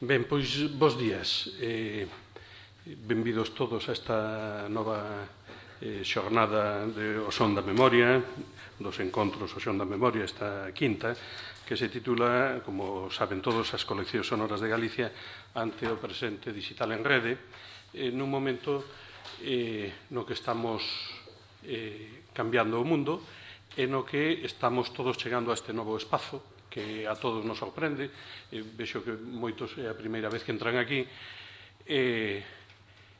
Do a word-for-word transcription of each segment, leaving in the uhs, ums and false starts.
Ben, pois, bos días. Eh, benvidos todos a esta nova eh, xornada de O Son da Memoria, dos encontros O Son da Memoria, esta quinta, que se titula, como saben todos, as coleccións sonoras de Galicia ante o presente digital en rede, eh, nun momento eh, no que estamos eh, cambiando o mundo e no que estamos todos chegando a este novo espazo que a todos nos sorprende. Eh, vexo que moitos é a primeira vez que entran aquí, e,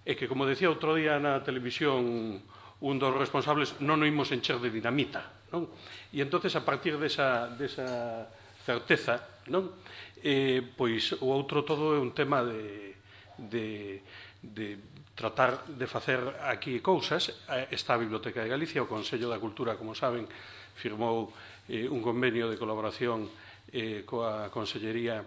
e que, como decía outro día na televisión un dos responsables, non o imos encher de dinamita, non? E entonces, a partir desa, desa certeza, non? Eh, pois o outro todo é un tema de, de, de tratar de facer aquí cousas. Está a Biblioteca de Galicia, o Consello da Cultura, como saben, firmou eh, un convenio de colaboración eh, coa Consellería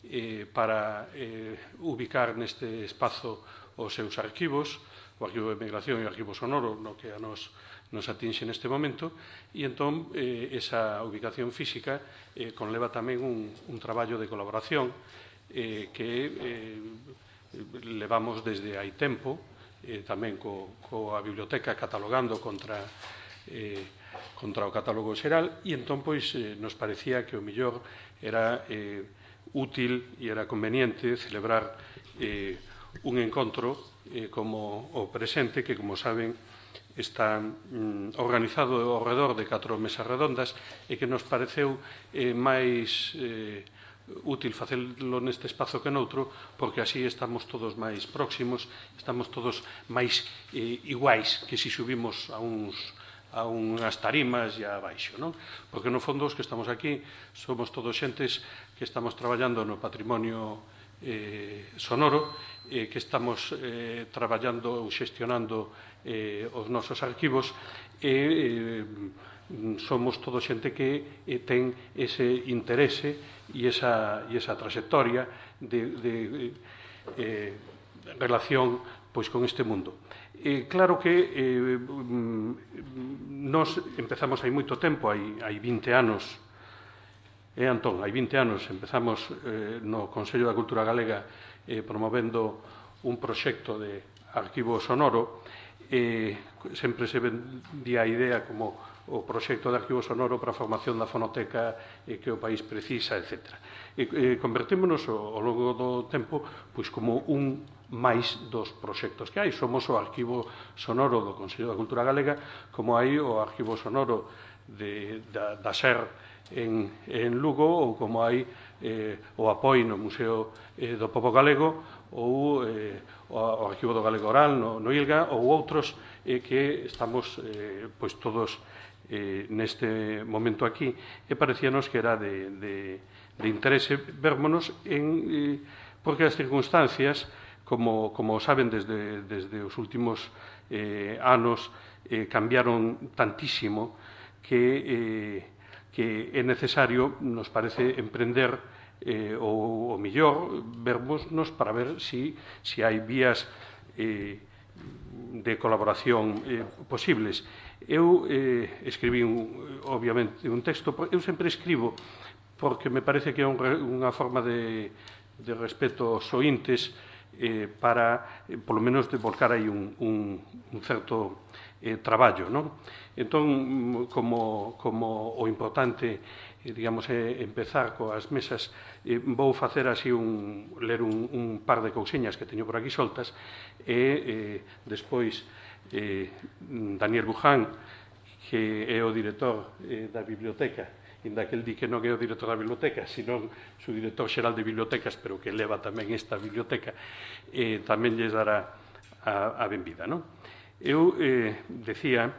eh, para eh, ubicar neste espazo os seus arquivos, o Arquivo de Migración e o Arquivo Sonoro, no que a nos, nos atinxe neste momento, e entón eh, esa ubicación física eh, conleva tamén un, un traballo de colaboración eh, que eh, levamos desde hai tempo, eh, tamén co, coa biblioteca catalogando contra eh, contra o catálogo xeral, e entón pois eh, nos parecía que o mellor era eh, útil e era conveniente celebrar eh, un encontro eh, como o presente, que, como saben, está mm, organizado ao redor de catro mesas redondas e que nos pareceu eh, máis eh, útil facelo neste espazo que noutro, porque así estamos todos máis próximos, estamos todos máis eh, iguais que se subimos a uns a unhas tarimas e abaixo, non? Porque, no fondo, os que estamos aquí somos todos xentes que estamos traballando no patrimonio eh, sonoro, eh, que estamos eh, traballando ou xestionando eh, os nosos arquivos, e eh, somos todo xente que eh, ten ese interese e esa, e esa trayectoria de, de eh, relación pois con este mundo. Eh, claro que eh, nos empezamos hai moito tempo, hai, hai vinte anos, eh, Antón, hai vinte anos empezamos eh, no Consello da Cultura Galega eh, promovendo un proxecto de arquivo sonoro. Eh, sempre se vendía a idea como o proxecto de arquivo sonoro para a formación da fonoteca eh, que o país precisa, etcétera. E eh, convertémonos ao, ao longo do tempo pois como un máis dos proxectos que hai. Somos o arquivo sonoro do Consello da Cultura Galega, como hai o arquivo sonoro de, da, da SER en, en Lugo, ou como hai eh, o Apoi no Museo eh, do Pobo Galego, ou eh, o, o arquivo do Galego Oral no, no Ilga, ou outros eh, que estamos eh, pois todos eh, neste momento aquí, e parecíanos que era de, de, de interese vermonos en, eh, porque as circunstancias, como, como saben, desde, desde os últimos eh, anos eh, cambiaron tantísimo que, eh, que é necesario, nos parece, emprender eh, o, o millor, vermosnos para ver si, si hai vías eh, de colaboración eh, posibles. Eu eh, escribí, un, obviamente, un texto. Eu sempre escribo porque me parece que é un, unha forma de, de respeto aos ointes, eh, para, eh, polo menos, de volcar aí un, un, un certo eh, traballo, non? Entón, como, como o importante, eh, digamos, é empezar coas mesas, eh, vou facer así un, ler un, un par de cousiñas que teño por aquí soltas, e eh, despois eh, Daniel Buján, que é o director eh, da biblioteca, inda que el di que non é o director da biblioteca, senón o director xeral de bibliotecas, pero que leva tamén esta biblioteca, eh, tamén lles dará a, a benvida, non? Eu eh, decía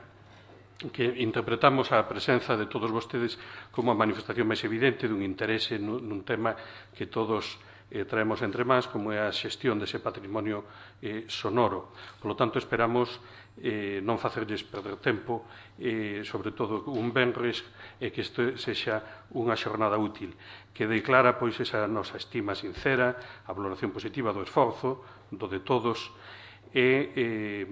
que interpretamos a presenza de todos vostedes como a manifestación máis evidente dun interese nun, nun tema que todos eh, traemos entre mans, como é a xestión dese patrimonio eh, sonoro. Por lo tanto, esperamos eh, non facerlles perder tempo, eh, sobre todo un venres, e que isto sexa unha xornada útil, que declara pois esa nosa estima sincera, a valoración positiva do esforzo, do de todos, e eh,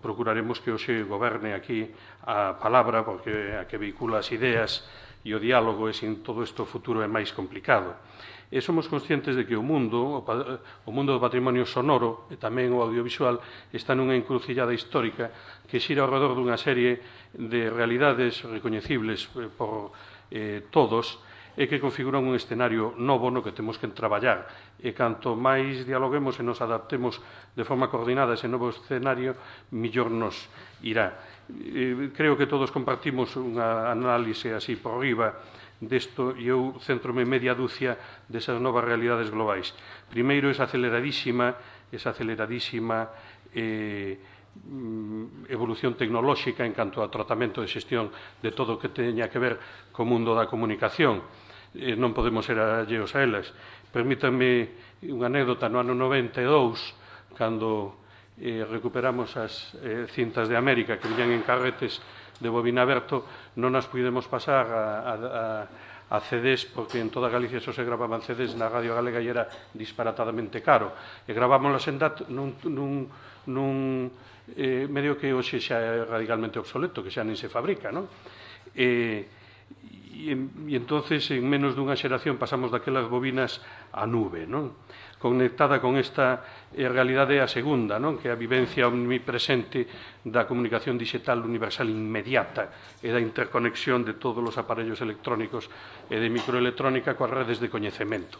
procuraremos que hoxe goberne aquí a palabra, porque a que vehicula as ideas e o diálogo, e sin todo isto o futuro é máis complicado. E somos conscientes de que o mundo, o mundo do patrimonio sonoro e tamén o audiovisual está nunha encrucillada histórica que xira ao redor dunha serie de realidades recoñecibles por eh, todos e que configuran un escenario novo no que temos que traballar. E canto máis dialoguemos e nos adaptemos de forma coordinada a ese novo escenario, millor nos irá. Eh, creo que todos compartimos unha análise así por riba desto e eu centro-me media dúcia desas novas realidades globais. Primeiro, esa aceleradísima, esa aceleradísima eh, evolución tecnolóxica en canto ao tratamento de xestión de todo o que teña que ver co mundo da comunicación. Eh, non podemos ser alleos a elas. Permítanme unha anécdota no ano noventa e dous, cando eh, recuperamos as eh, cintas de América que viñan en carretes de bobina aberto, non as pudemos pasar a, a, a C Ds, porque en toda Galicia só se gravaban C Ds na Radio Galega e era disparatadamente caro. E gravámonos en D A T nun, nun, nun eh, medio que hoxe xa é radicalmente obsoleto, que xa nin se fabrica, non? E, e, e entonces, en menos dunha xeración, pasamos daquelas bobinas á nube, non? Conectada con esta eh, realidade a segunda, non? Que é a vivencia omnipresente da comunicación digital universal inmediata e da interconexión de todos os aparellos electrónicos e de microelectrónica coas redes de coñecemento.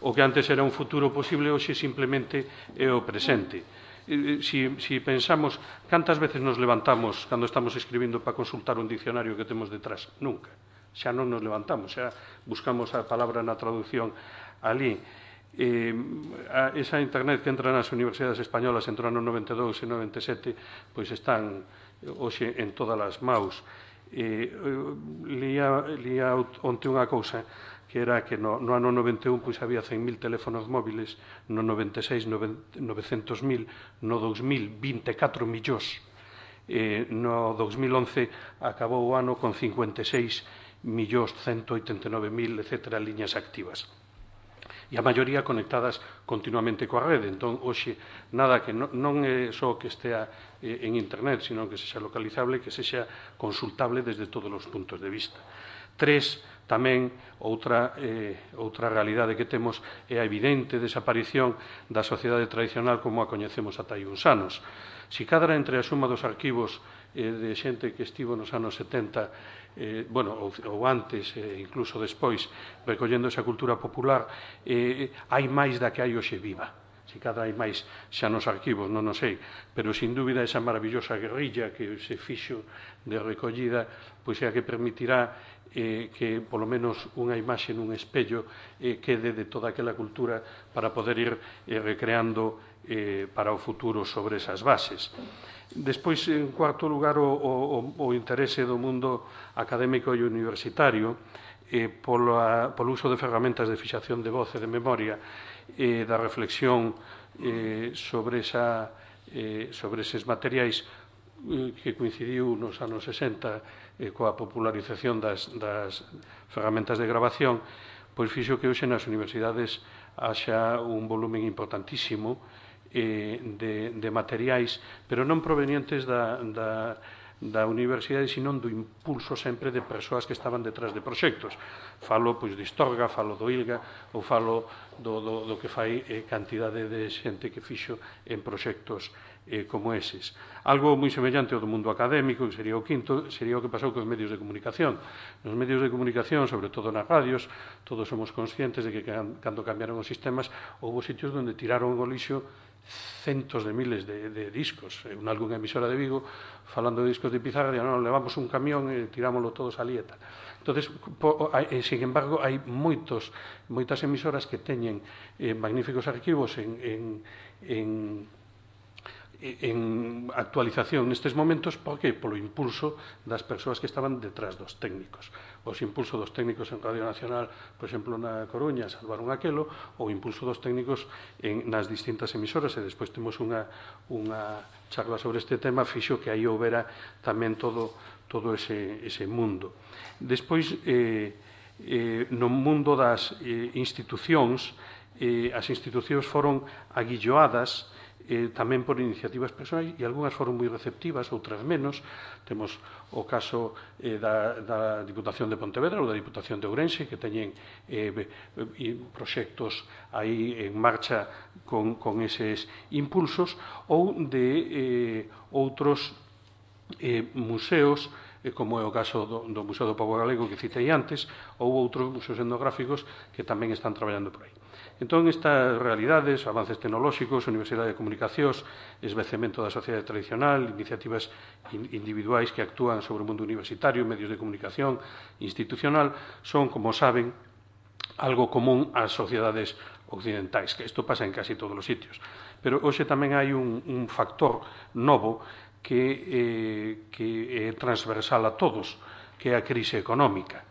O que antes era un futuro posible, hoxe simplemente é o presente. Si, si pensamos, cantas veces nos levantamos cando estamos escribindo para consultar un diccionario que temos detrás? Nunca. Xa non nos levantamos, xa buscamos a palabra na traducción ali. Eh, a, esa internet que entra nas universidades españolas entre o ano noventa e dous e noventa e sete, pois están hoxe en todas as maus. Eh, lía, lía onte unha cousa que era que no, no ano noventa e un pois había cen mil teléfonos móviles, no noventa e seis novecentos mil, no dous mil vinte e catro millóns, eh, no dous mil once acabou o ano con cincuenta e seis millóns ciento oitenta e nove mil, etcétera, liñas activas. E a maioría conectadas continuamente coa rede. Entón, hoxe, nada que non, non é só que estea eh, en internet, sino que sexa localizable, que sexa consultable desde todos os puntos de vista. Tres, tamén, outra, eh, outra realidade que temos é a evidente desaparición da sociedade tradicional como a coñecemos ata hai uns anos. Si cadra entre a suma dos arquivos eh, de xente que estivo nos anos setenta, eh, bueno, ou, ou antes, eh, incluso despois, recollendo esa cultura popular, eh, hai máis da que hai hoxe viva. Si cada hai máis xa nos arquivos, non o sei, pero sin dúbida esa maravillosa guerrilla que se fixo de recollida, pois é a que permitirá eh, que polo menos unha imaxe nun espello eh, quede de toda aquela cultura para poder ir eh, recreando eh, para o futuro sobre esas bases. Despois, en cuarto lugar, o, o, o interese do mundo académico e universitario eh, polo, a, polo uso de ferramentas de fixación de voz e de memoria e eh, da reflexión eh, sobre, esa, eh, sobre eses materiais eh, que coincidiu nos anos sesenta eh, coa popularización das, das ferramentas de grabación, pois fixo que hoxe nas universidades haxa un volumen importantísimo eh, de, de materiais, pero non provenientes da, da, da universidade, sino do impulso sempre de persoas que estaban detrás de proxectos. Falo pois, de Istorga, falo do ILGA, ou falo do, do, do que fai eh, cantidade de xente que fixo en proxectos eh, como eses. Algo moi semellante ao do mundo académico, que sería o quinto, sería o que pasou cos medios de comunicación. Nos medios de comunicación, sobre todo nas radios, todos somos conscientes de que cando cambiaron os sistemas, houve sitios onde tiraron o lixo centos de miles de, de discos. En algunha emisora de Vigo, falando de discos de pizarra, non, levamos un camión e tirámoslo todos ali e tal. Entonces, po, hai, sin embargo, hai moitos, moitas emisoras que teñen eh, magníficos arquivos en, en, en en actualización nestes momentos, porque polo impulso das persoas que estaban detrás dos técnicos. Os impulso dos técnicos en Radio Nacional, por exemplo, na Coruña, salvaron aquelo, ou impulso dos técnicos en, nas distintas emisoras, e despois temos unha, unha charla sobre este tema, fixo que aí houbera tamén todo, todo ese, ese mundo. Despois, eh, eh, no mundo das eh, institucións, eh, as institucións foron aguilloadas eh, tamén por iniciativas persoais, e algunhas foron moi receptivas, outras menos. Temos o caso eh, da, da Diputación de Pontevedra ou da Diputación de Ourense, que teñen eh, proxectos aí en marcha con, con eses impulsos, ou de eh, outros eh, museos, eh, como é o caso do, do Museo do Pobo Galego que citei antes, ou outros museos etnográficos que tamén están traballando por aí. Entón, estas realidades, avances tecnolóxicos, Universidade de Comunicacións, esvecemento da sociedade tradicional, iniciativas individuais que actúan sobre o mundo universitario, medios de comunicación, institucional, son, como saben, algo común ás sociedades occidentais, que isto pasa en casi todos os sitios. Pero hoxe tamén hai un, un factor novo que, eh, que é transversal a todos, que é a crise económica,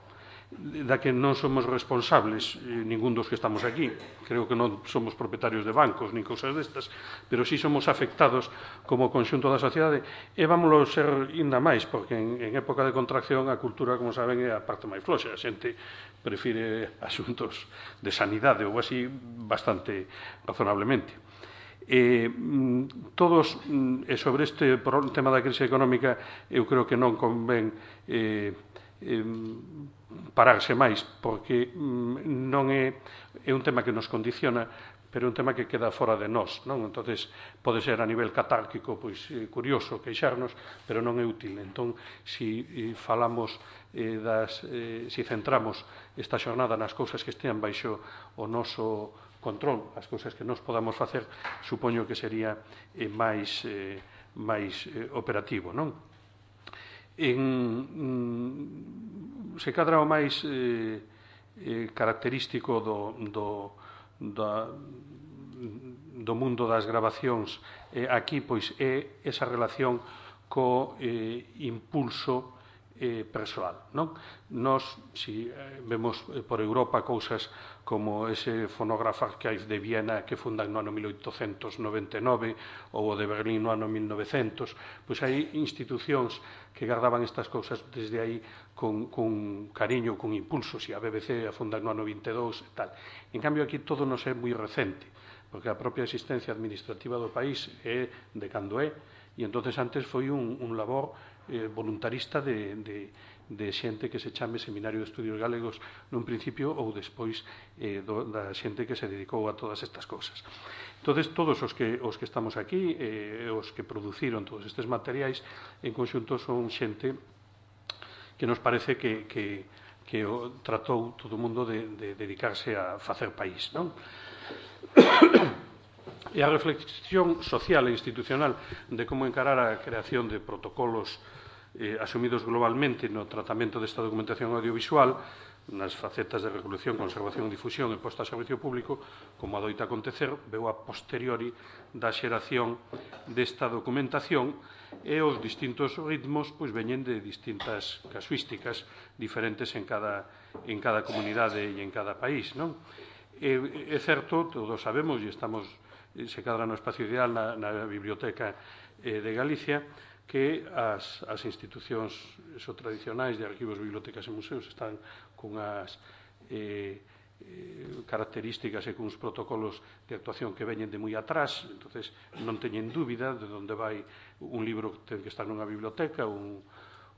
da que non somos responsables eh, ningún dos que estamos aquí. Creo que non somos propietarios de bancos nin cousas destas, pero sí somos afectados como conxunto da sociedade, e vámoslo ser ainda máis, porque en, en época de contracción a cultura, como saben, é a parte máis floxa. A xente prefire asuntos de sanidade ou así bastante razonablemente. Eh, todos, e sobre este tema da crise económica, eu creo que non convén eh, eh, pararse máis, porque non é, é un tema que nos condiciona, pero é un tema que queda fora de nós, non? Entonces, pode ser a nivel catárquico, pois, eh, curioso, queixarnos, pero non é útil. Entón, si eh, falamos eh, das, eh, si centramos esta xornada nas cousas que estean baixo o noso control, as cousas que nos podamos facer, supoño que sería eh, máis, eh, máis eh, operativo, non? En, mm, se cadra o máis eh, eh, característico do, do, da, do mundo das grabacións eh, aquí, pois, é esa relación co eh, impulso eh, persoal, non? Nós, si eh, vemos eh, por Europa cousas como ese Phonograph Archive de Viena que fundan no ano mil oitocentos noventa e nove ou o de Berlín no ano mil novecientos, pois hai institucións que guardaban estas cousas desde aí con, con cariño, con impulso. Si a B B C a fundan no ano vinte e dous e tal. En cambio, aquí todo nos é moi recente, porque a propia existencia administrativa do país é de cando é, e entonces antes foi un, un labor eh, voluntarista de, de, de xente que se chame Seminario de Estudios Galegos nun principio, ou despois eh, do, da xente que se dedicou a todas estas cousas. Entonces, todos os que, os que estamos aquí, eh, os que produciron todos estes materiais, en conxunto son xente que nos parece que, que, que o, tratou todo o mundo de, de dedicarse a facer país, non? E a reflexión social e institucional de como encarar a creación de protocolos eh, asumidos globalmente no tratamento desta documentación audiovisual, nas facetas de regulación, conservación, difusión e posta a servicio público, como adoita acontecer, veu a posteriori da xeración desta documentación, e os distintos ritmos pois veñen de distintas casuísticas diferentes en cada, en cada comunidade e en cada país, non? É, é certo, todos sabemos, e estamos se cadra no espacio ideal na, na Biblioteca eh, de Galicia, que as, as institucións eso, tradicionais de arquivos, bibliotecas e museos están cunhas eh, eh, características e cuns protocolos de actuación que veñen de moi atrás. Entonces non teñen dúbida de onde vai un libro que ten que estar nunha biblioteca, un,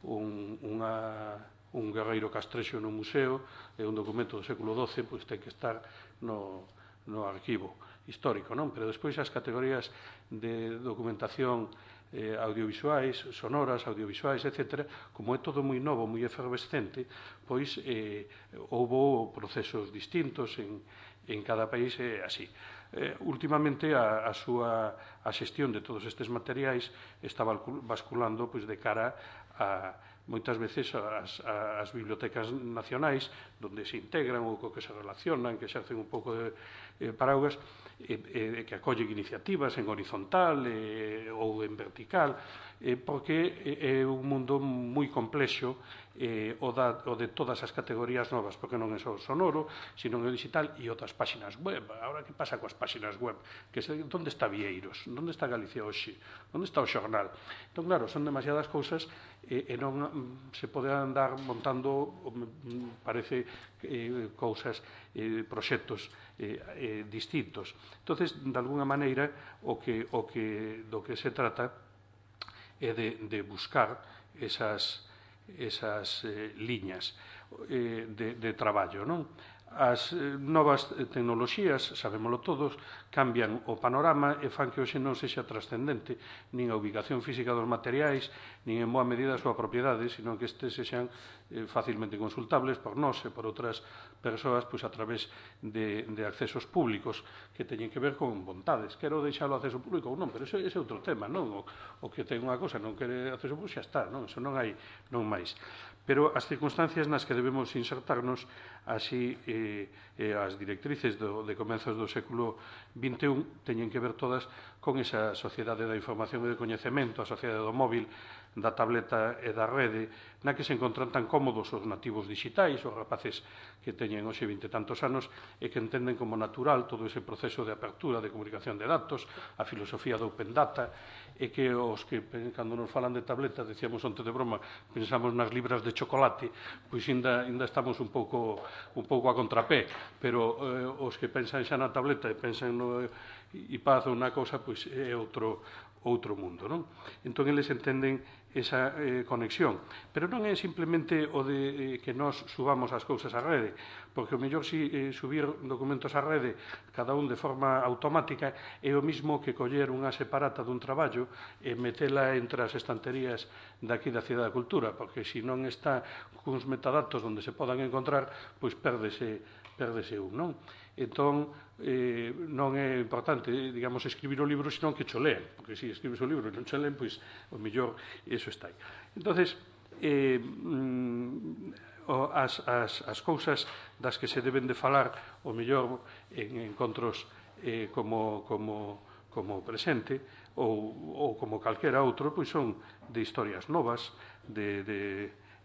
un, unha, un guerreiro castrexo no museo, e un documento do século doce, pois ten que estar no, no arquivo histórico, non? Pero despois as categorías de documentación eh, audiovisuais, sonoras, audiovisuais, etcétera, como é todo moi novo, moi efervescente, pois eh, houbo procesos distintos en, en cada país e así. Eh, últimamente a, a súa a xestión de todos estes materiais está basculando pois, de cara a moitas veces as, as bibliotecas nacionais, donde se integran ou co que se relacionan, que exercen un pouco de eh, paraugas, eh, eh, que acollen iniciativas en horizontal eh, ou en vertical, eh, porque é un mundo moi complexo eh, o, da, o de todas as categorías novas, porque non é só o sonoro, sino o digital e outras páxinas web. Agora, que pasa coas páxinas web? Que se, onde está Vieiros? Onde está Galicia hoxe? Onde está o xornal? Entón, claro, son demasiadas cousas e, e non se pode andar montando, parece, eh, cousas, eh, proxectos eh, eh, distintos. Entonces, de alguna maneira, o que, o que, do que se trata é de, de buscar esas, esas eh, liñas eh, de, de traballo, non? As eh, novas tecnoloxías, sabémolo todos, cambian o panorama e fan que hoxe non sexa trascendente nin a ubicación física dos materiais, nin en boa medida a súa propiedade, sino que estes sexan eh, facilmente consultables por nós e por outras persoas, pois a través de, de accesos públicos que teñen que ver con vontades. Quero deixalo acceso público ou non, pero ese, ese é outro tema, non? O, o que ten unha cosa non quere acceso público xa está, non? Eso non hai, non máis. Pero as circunstancias nas que debemos insertarnos, así eh, eh, as directrices do, de comenzos do século vinte e un teñen que ver todas con esa sociedade da información e do coñecemento, a sociedade do móvil, da tableta e da rede, na que se encontran tan cómodos os nativos digitais, os rapaces que teñen hoxe vinte e tantos anos e que entenden como natural todo ese proceso de apertura de comunicación de datos, a filosofía do open data, e que os que, cando nos falan de tableta, decíamos onte de broma, pensamos nas libras de chocolate, pois ainda, ainda estamos un pouco, un pouco a contrapé, pero eh, os que pensan xa na tableta e pensan no iPad ou na cousa, pois é outro, outro mundo, non? Entón, eles entenden esa eh, conexión. Pero non é simplemente o de eh, que nós subamos as cousas á rede, porque o mellor si eh, subir documentos á rede, cada un de forma automática, é o mismo que coller unha separata dun traballo e metela entre as estanterías daqui da Cidade da Cultura, porque se non está cuns metadatos onde se podan encontrar, pois pérdese, pérdese un, non? Entón, eh, non é importante, digamos, escribir o libro, senón que cho lean, porque se escribes o libro e non cho leen, pois, o mellor, iso está aí. Entonces, eh, mm, as, as, as cousas das que se deben de falar, o mellor, en encontros eh, como, como, como presente, ou, ou como calquera outro, pois son de historias novas, de... de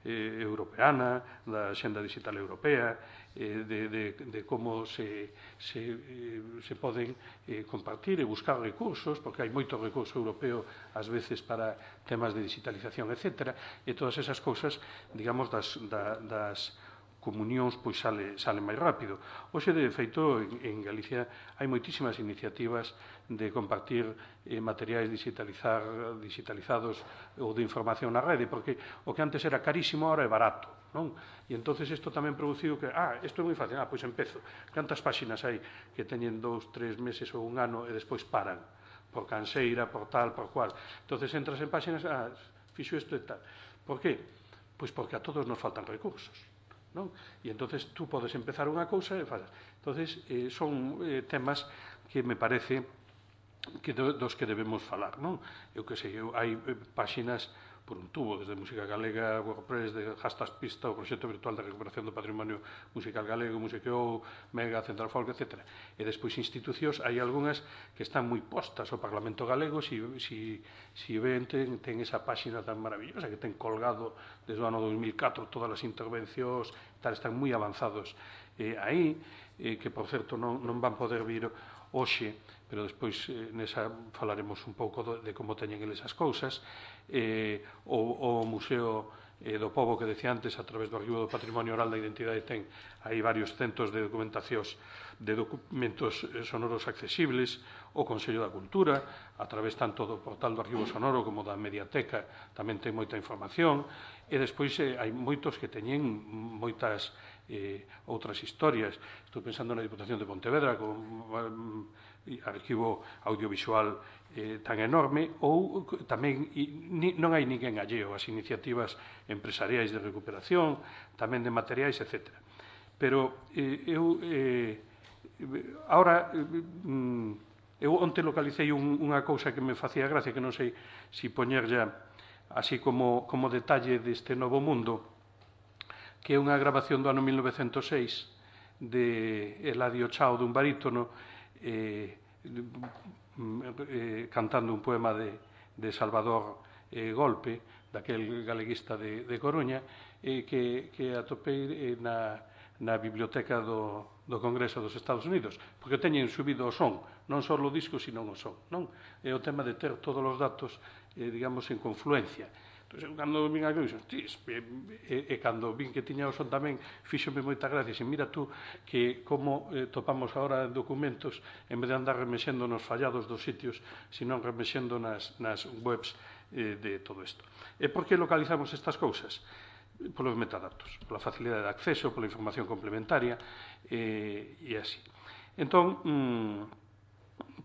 Eh, europeana, da Xenda Digital Europea, eh, de, de, de como se, se, eh, se poden eh, compartir e buscar recursos, porque hai moito recurso europeo ás veces para temas de digitalización, etcétera, e todas esas cousas, digamos, das, da, das comunións, pois sale, sale máis rápido. Hoxe, de feito, en, en Galicia hai moitísimas iniciativas de compartir eh, materiais digitalizar, digitalizados ou de información na rede, porque o que antes era carísimo, ahora é barato, non? E entonces isto tamén produciu que, ah, isto é moi fácil, ah, pois empezo. Cantas páxinas hai que teñen dous, tres meses ou un ano e despois paran, por canseira, por tal, por cual. Entonces entras en páxinas, ah, fixo isto e tal. Por qué? Pois porque a todos nos faltan recursos, non? E entonces tú podes empezar unha cousa e fazes. Entonces eh, son eh, temas que me parece que do, dos que debemos falar, non? Eu que sei, eu, hai eh, páxinas por un tubo, desde Música Galega, WordPress, de Hastas Pista, o Proxecto Virtual de Recuperación do Patrimonio Musical Galego, Musiqueo, Mega, Central Folk, etcétera. E despois institucións, hai algunhas que están moi postas ao Parlamento Galego, si, si, si ven, ten, ten esa páxina tan maravillosa que ten colgado desde o ano dos mil catro todas as intervencións, tal, están moi avanzados eh, aí, eh, que, por certo, non, non van poder vir hoxe, pero despois eh, nesa falaremos un pouco do, de como teñen eles as cousas. Eh, o, o Museo eh, do Pobo que decía antes, a través do Arquivo do Patrimonio Oral da Identidade, ten aí varios centos de documentacións de documentos sonoros accesibles, o Consello da Cultura, a través tanto do portal do Arquivo Sonoro como da Mediateca, tamén ten moita información, e despois eh, hai moitos que teñen moitas eh, outras historias. Estou pensando na Diputación de Pontevedra, con um, arquivo audiovisual eh, tan enorme, ou tamén ni, non hai ninguén alleo as iniciativas empresariais de recuperación, tamén de materiais, etcétera. Pero eh, eu eh, ahora eh, eu onte localicei un, unha cousa que me facía gracia, que non sei si poñer ya así como, como detalle deste novo mundo, que é unha grabación do ano mil novecentos e seis de Eladio Chao, dun barítono, eh, eh, cantando un poema de, de Salvador eh, Golpe, daquel galeguista de, de Coruña, eh, que, que atopei eh, na, na biblioteca do, do Congreso dos Estados Unidos, porque teñen subido o son, non só o disco, sino o son, non? É o tema de ter todos os datos, eh, digamos, en confluencia. Entón, cando vin aquilo, dixen, e, e cando vin que tiña o son tamén, fíxome moita gracia, e mira tú que como eh, topamos agora documentos, en vez de andar remexendo nos fallados dos sitios, sino remexendo nas, nas webs eh, de todo isto. E por que localizamos estas cousas? Polos metadatos, pola facilidade de acceso, pola información complementaria eh, e así. Entón, mm,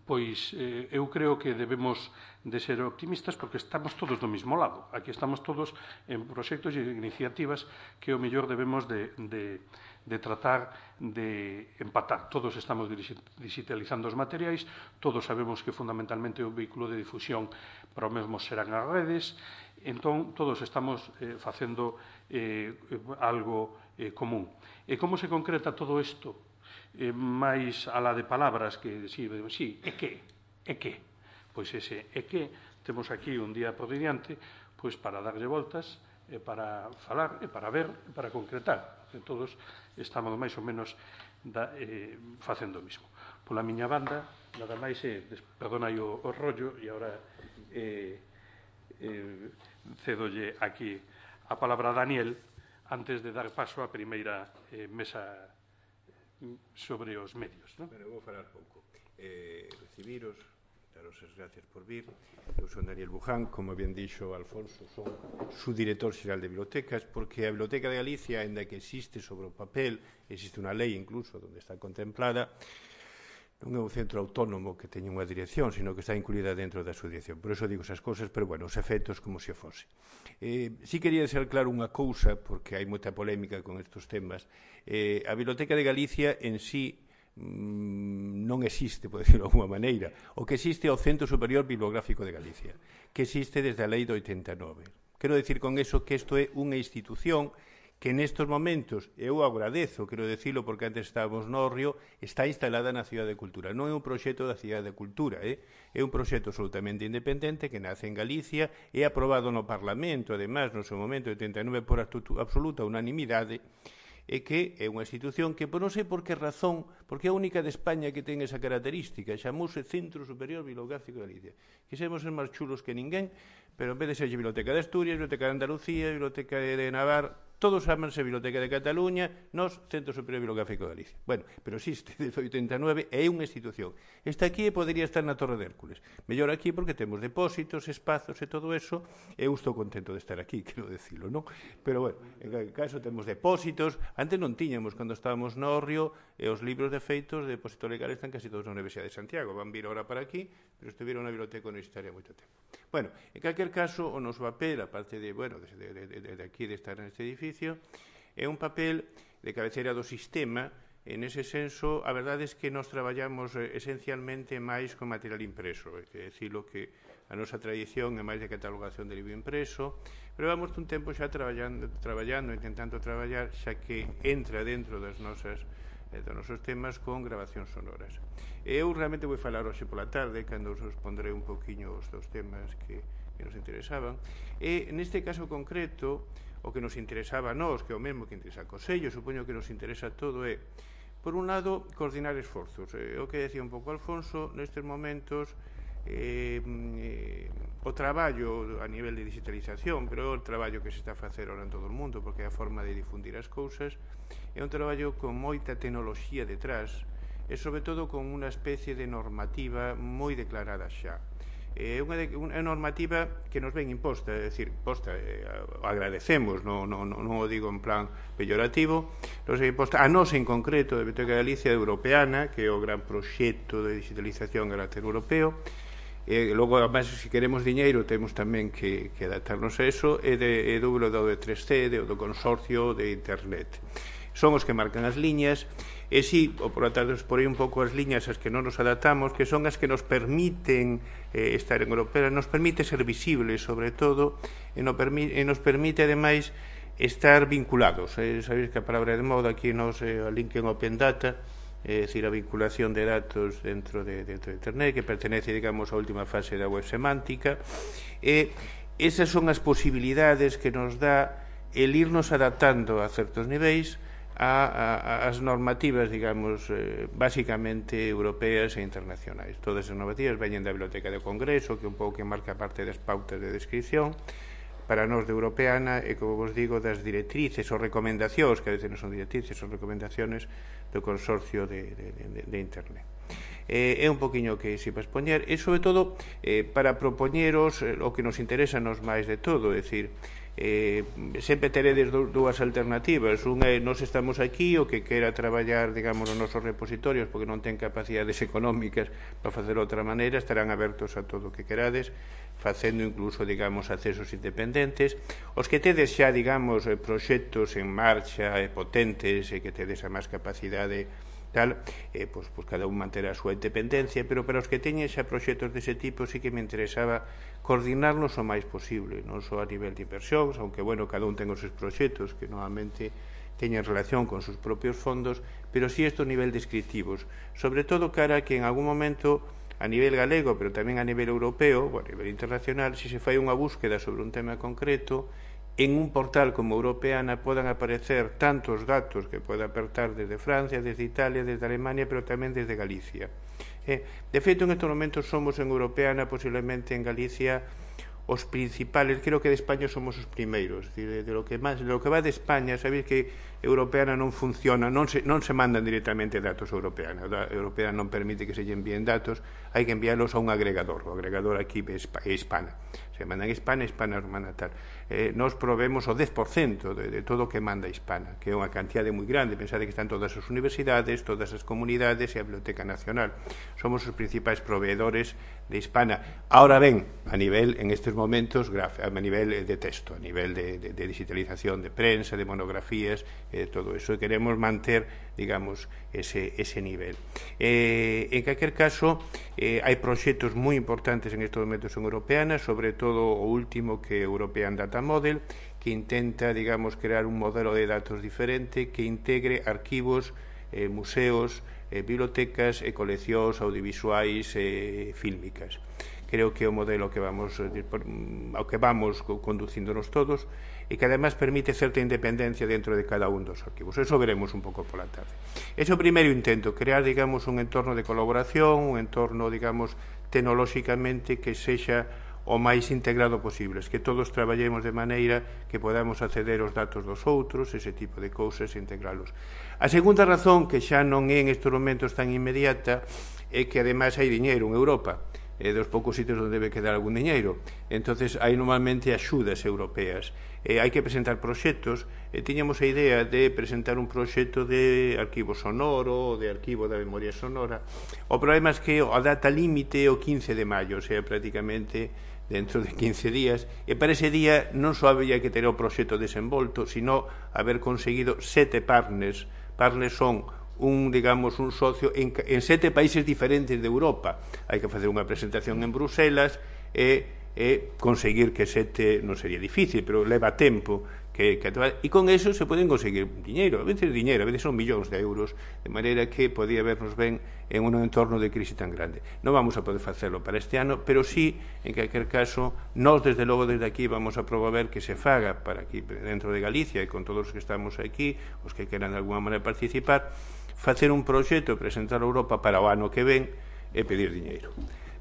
pois eh, eu creo que debemos de ser optimistas porque estamos todos do mesmo lado. Aquí estamos todos en proxectos e iniciativas que o mellor debemos de, de, de tratar de empatar. Todos estamos digitalizando os materiais, todos sabemos que fundamentalmente é un vehículo de difusión para o mesmo serán as redes, entón todos estamos eh, facendo eh, algo eh, común. E como se concreta todo isto? Eh, máis a la de palabras que si, si, é que, é que pois ese é que temos aquí un día por diante pois para darlle voltas e para falar e para ver e para concretar, que todos estamos máis ou menos da, eh, facendo o mismo. Pola miña banda nada máis é, eh, perdona o, o rollo e agora eh, eh, cedolle aquí a palabra a Daniel antes de dar paso á primeira eh, mesa sobre os medios, non? Bueno, vou falar pouco. Eh, recibiros, daros as gracias por vir. Eu son Daniel Buján, como ben dixo Alfonso, son subdirector xeral de bibliotecas, porque a Biblioteca de Galicia, ainda que existe sobre o papel, existe unha lei incluso onde está contemplada, non é un centro autónomo que teña unha dirección, sino que está incluída dentro da súa dirección. Por eso digo esas cosas, pero, bueno, os efectos como se fose. Eh, si quería ser claro unha cousa, porque hai moita polémica con estes temas. Eh, a Biblioteca de Galicia en sí mmm, non existe, por decirlo de alguma maneira. O que existe é o Centro Superior Bibliográfico de Galicia, que existe desde a lei do oitenta e nove. Quero decir con eso que isto é unha institución que nestes momentos, eu agradezo, quero decirlo porque antes estábamos no Río, está instalada na Cidade de Cultura. Non é un proxecto da Cidade de Cultura, eh? É un proxecto absolutamente independente que nace en Galicia, é aprobado no Parlamento, además, no seu momento, oitenta e nove, por absoluta unanimidade, e que é unha institución que, por non sei por que razón, porque é a única de España que ten esa característica, chamouse Centro Superior Bibliográfico de Galicia. Quisemos ser máis chulos que ninguén, pero en vez de ser Biblioteca de Asturias, Biblioteca de Andalucía, Biblioteca de Navarra, todos chamanse Biblioteca de Cataluña, nos Centro Superior Bibliográfico de Galicia. Bueno, pero existe desde oitenta e nove, é unha institución. Está aquí e podería estar na Torre de Hércules. Mellor aquí porque temos depósitos, espazos e todo eso, e eu estou contento de estar aquí, quero decirlo, non? Pero, bueno, en calquer caso temos depósitos, antes non tiñamos, cando estábamos no Río, e os libros de feitos de depósito legal están casi todos na Universidade de Santiago, van vir ahora para aquí, pero estiveron na biblioteca universitaria moito tempo. Bueno, en calquer caso, o noso papel, aparte de, bueno, de, de, de, de aquí, de estar neste edificio, é un papel de cabeceira do sistema. En ese senso, a verdade é que nós traballamos eh, esencialmente máis con material impreso, é que decirlo que a nosa tradición é máis de catalogación de libro impreso, pero vamos un tempo xa traballando, traballando, intentando traballar, xa que entra dentro das nosas eh, dos nosos temas con grabacións sonoras. E eu realmente vou falar hoxe pola tarde, cando os respondré un poquinho os dos temas que, que nos interesaban. E neste caso concreto, o que nos interesaba a nós, que é o mesmo que interesa a Consello, supoño que nos interesa todo é, por un lado, coordinar esforzos. Eh, o que decía un pouco Alfonso, nestes momentos, eh, eh, o traballo a nivel de digitalización, pero o traballo que se está a facer ahora en todo o mundo, porque é a forma de difundir as cousas, é un traballo con moita tecnoloxía detrás, e sobre todo con unha especie de normativa moi declarada xa. É unha, de, unha normativa que nos ven imposta, é dicir, imposta, eh, agradecemos, non, non, non o digo en plan peyorativo, nos ven imposta, a nós en concreto, de Biblioteca de Galicia, Europeana, que é o gran proxecto de digitalización a carácter europeo, e logo, además, se queremos diñeiro, temos tamén que, que adaptarnos a eso, e, de, e do do de tres C, do, do consorcio de Internet. Son os que marcan as liñas, e si, o por atrás por aí un pouco as liñas as que non nos adaptamos, que son as que nos permiten eh, estar en Europea, nos permite ser visibles, sobre todo, e, no permi e nos permite, ademais, estar vinculados. Eh, sabéis que a palabra de moda aquí nos eh, a link en Open Data, é dicir, a vinculación de datos dentro de, dentro de Internet, que pertenece, digamos, á última fase da web semántica, e esas son as posibilidades que nos dá el irnos adaptando a certos niveis a, a, as normativas, digamos, eh, basicamente europeas e internacionais. Todas as normativas veñen da Biblioteca do Congreso, que un pouco que marca parte das pautas de descripción, para nós de Europeana, e, como vos digo, das directrices ou recomendacións, que a veces non son directrices, son recomendaciones do Consorcio de, de, de, de Internet. Eh, é un poquinho que se vai expoñer, e, sobre todo, eh, para propoñeros eh, o que nos interesa nos máis de todo, é dicir, Eh, sempre teredes dúas alternativas. Unha é, nós estamos aquí, o que quera traballar, digamos, nos nosos repositorios porque non ten capacidades económicas para facer outra maneira, estarán abertos a todo o que querades, facendo incluso, digamos, accesos independentes. Os que tedes xa, digamos, proxectos en marcha, e potentes, e que tedes a máis capacidade tal, eh, pois, pois cada un manterá a súa independencia, pero para os que teñen xa proxectos dese tipo sí que me interesaba coordinarnos o máis posible, non só a nivel de inversións, aunque, bueno, cada un ten os seus proxectos que normalmente teñen relación con seus propios fondos, pero sí estos nivel descriptivos, sobre todo cara que en algún momento a nivel galego, pero tamén a nivel europeo, ou a nivel internacional, se se fai unha búsqueda sobre un tema concreto, en un portal como Europeana podan aparecer tantos datos que poda apertar desde Francia, desde Italia, desde Alemania, pero tamén desde Galicia. Eh, de feito, en estes momentos somos en Europeana, posiblemente en Galicia, os principales, creo que de España somos os primeiros, de, de, lo que máis, de lo que va de España, sabéis que Europeana non funciona, non se, non se mandan directamente datos a Europeana, a Europeana non permite que se lle envíen datos, hai que enviarlos a un agregador, o agregador aquí é Hispana, se mandan Hispana, Hispana nos manda tal. Eh, nos provemos o dez por cento de, de todo o que manda Hispana, que é unha cantidade moi grande, pensade que están todas as universidades, todas as comunidades e a Biblioteca Nacional. Somos os principais proveedores de Hispana. Ahora ben, a nivel, en estes momentos, a nivel de texto, a nivel de, de, de digitalización de prensa, de monografías, eh, todo eso, e queremos manter, digamos, ese, ese nivel. Eh, en calquer caso, eh, hai proxectos moi importantes en estes momentos en Europeana, sobre todo o último que é European Data Model, que intenta, digamos, crear un modelo de datos diferente que integre arquivos, eh, museos, eh, bibliotecas e coleccións audiovisuais e eh, fílmicas. Creo que é o modelo que vamos, ao que vamos conducíndonos todos e que además permite certa independencia dentro de cada un dos arquivos. Eso veremos un pouco pola tarde. Ese é o primeiro intento, crear, digamos, un entorno de colaboración, un entorno, digamos, tecnolóxicamente que sexa o máis integrado posible, que todos traballemos de maneira que podamos acceder aos datos dos outros, ese tipo de cousas, e integralos. A segunda razón, que xa non é en estes momentos tan inmediata, é que ademais hai diñeiro en Europa, é dos poucos sitios onde debe quedar algún diñeiro. Entonces hai normalmente axudas europeas. E hai que presentar proxectos. E tiñamos a idea de presentar un proxecto de arquivo sonoro, de arquivo da memoria sonora. O problema é que a data límite é o quince de maio, o sea, prácticamente dentro de quince días, e para ese día non só había que ter o proxecto desenvolto, sino haber conseguido sete partners. Partners son un, digamos, un socio en, en sete países diferentes de Europa. Hai que facer unha presentación en Bruselas e, e conseguir que sete, non sería difícil, pero leva tempo que, que e con eso se poden conseguir diñeiro, a veces diñeiro, a veces son millóns de euros, de maneira que podía vernos ben en un entorno de crise tan grande. Non vamos a poder facerlo para este ano, pero sí, en calquer caso, nós desde logo desde aquí vamos a promover que se faga para aquí dentro de Galicia e con todos os que estamos aquí, os que queran de alguma maneira participar, facer un proxecto e presentar a Europa para o ano que ven e pedir diñeiro.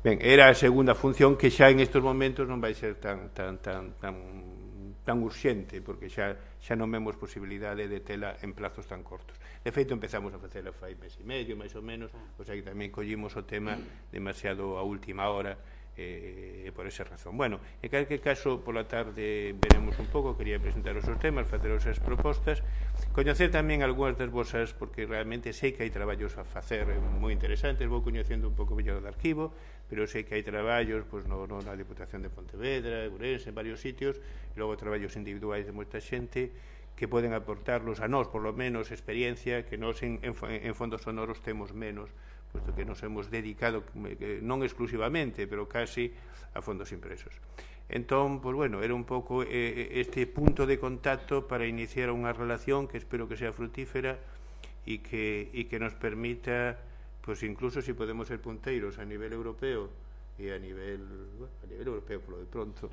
Ben, era a segunda función que xa en estes momentos non vai ser tan tan tan tan tan urxente, porque xa xa non vemos posibilidade de tela en plazos tan cortos. De feito, empezamos a facela fai mes e medio, máis ou menos, o sea que tamén collimos o tema demasiado a última hora, e eh, por esa razón. Bueno, en calquer caso, pola tarde veremos un pouco, quería presentar os seus temas, facer as súas propostas, coñecer tamén algunhas das vosas, porque realmente sei que hai traballos a facer moi interesantes, vou coñecendo un pouco mellor do arquivo, pero sei que hai traballos pois, no, no, na Diputación de Pontevedra, Ourense, en varios sitios, e logo traballos individuais de moita xente que poden aportarlos a nós, por lo menos, experiencia que nós en, en, en fondos sonoros temos menos, puesto que nos hemos dedicado, non exclusivamente, pero casi a fondos impresos. Entón, pues bueno, era un pouco eh, este punto de contacto para iniciar unha relación que espero que sea frutífera e que, e que nos permita, pues incluso si podemos ser punteiros a nivel europeo e a nivel, bueno, a nivel europeo, por lo de pronto,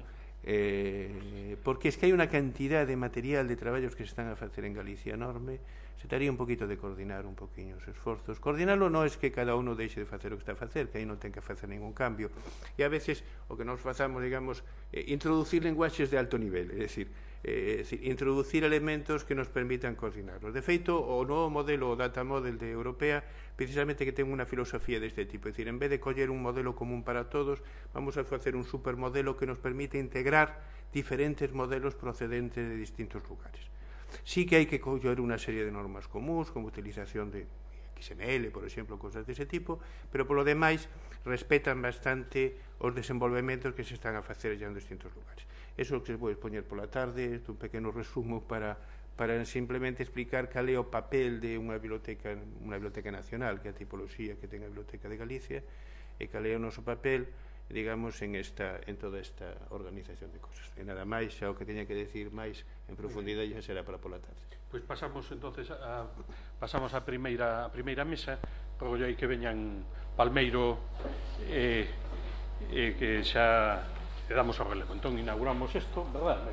eh, porque es que hai unha cantidad de material de traballos que se están a facer en Galicia enorme. Se taría un poquito de coordinar un poquinho os esforzos. Coordinarlo non é que cada uno deixe de facer o que está a facer, que aí non ten que facer ningún cambio, e a veces o que nos fazamos, digamos, eh, introducir lenguaxes de alto nivel, é dicir, eh, é dicir, introducir elementos que nos permitan coordinarlos. De feito, o novo modelo, o data model de Europea, precisamente que ten unha filosofía deste tipo, é dicir, en vez de coller un modelo común para todos, vamos a facer un supermodelo que nos permite integrar diferentes modelos procedentes de distintos lugares. Sí que hai que coller unha serie de normas comuns, como utilización de X M L, por exemplo, cosas dese tipo, pero polo demais respetan bastante os desenvolvementos que se están a facer ya en distintos lugares. Eso que se pode poñer pola tarde, un pequeno resumo para, para simplemente explicar cal é o papel de unha biblioteca, unha biblioteca nacional, que é a tipoloxía que ten a Biblioteca de Galicia, e cal é o noso papel, digamos, en, esta, en toda esta organización de cosas. E nada máis, xa o que teña que decir máis en profundidade xa será para pola tarde. Pois pasamos entonces a, pasamos a primeira, a primeira mesa, rogo aí que veñan Palmeiro e eh, eh, que xa le damos o relevo. Entón inauguramos isto, verdad?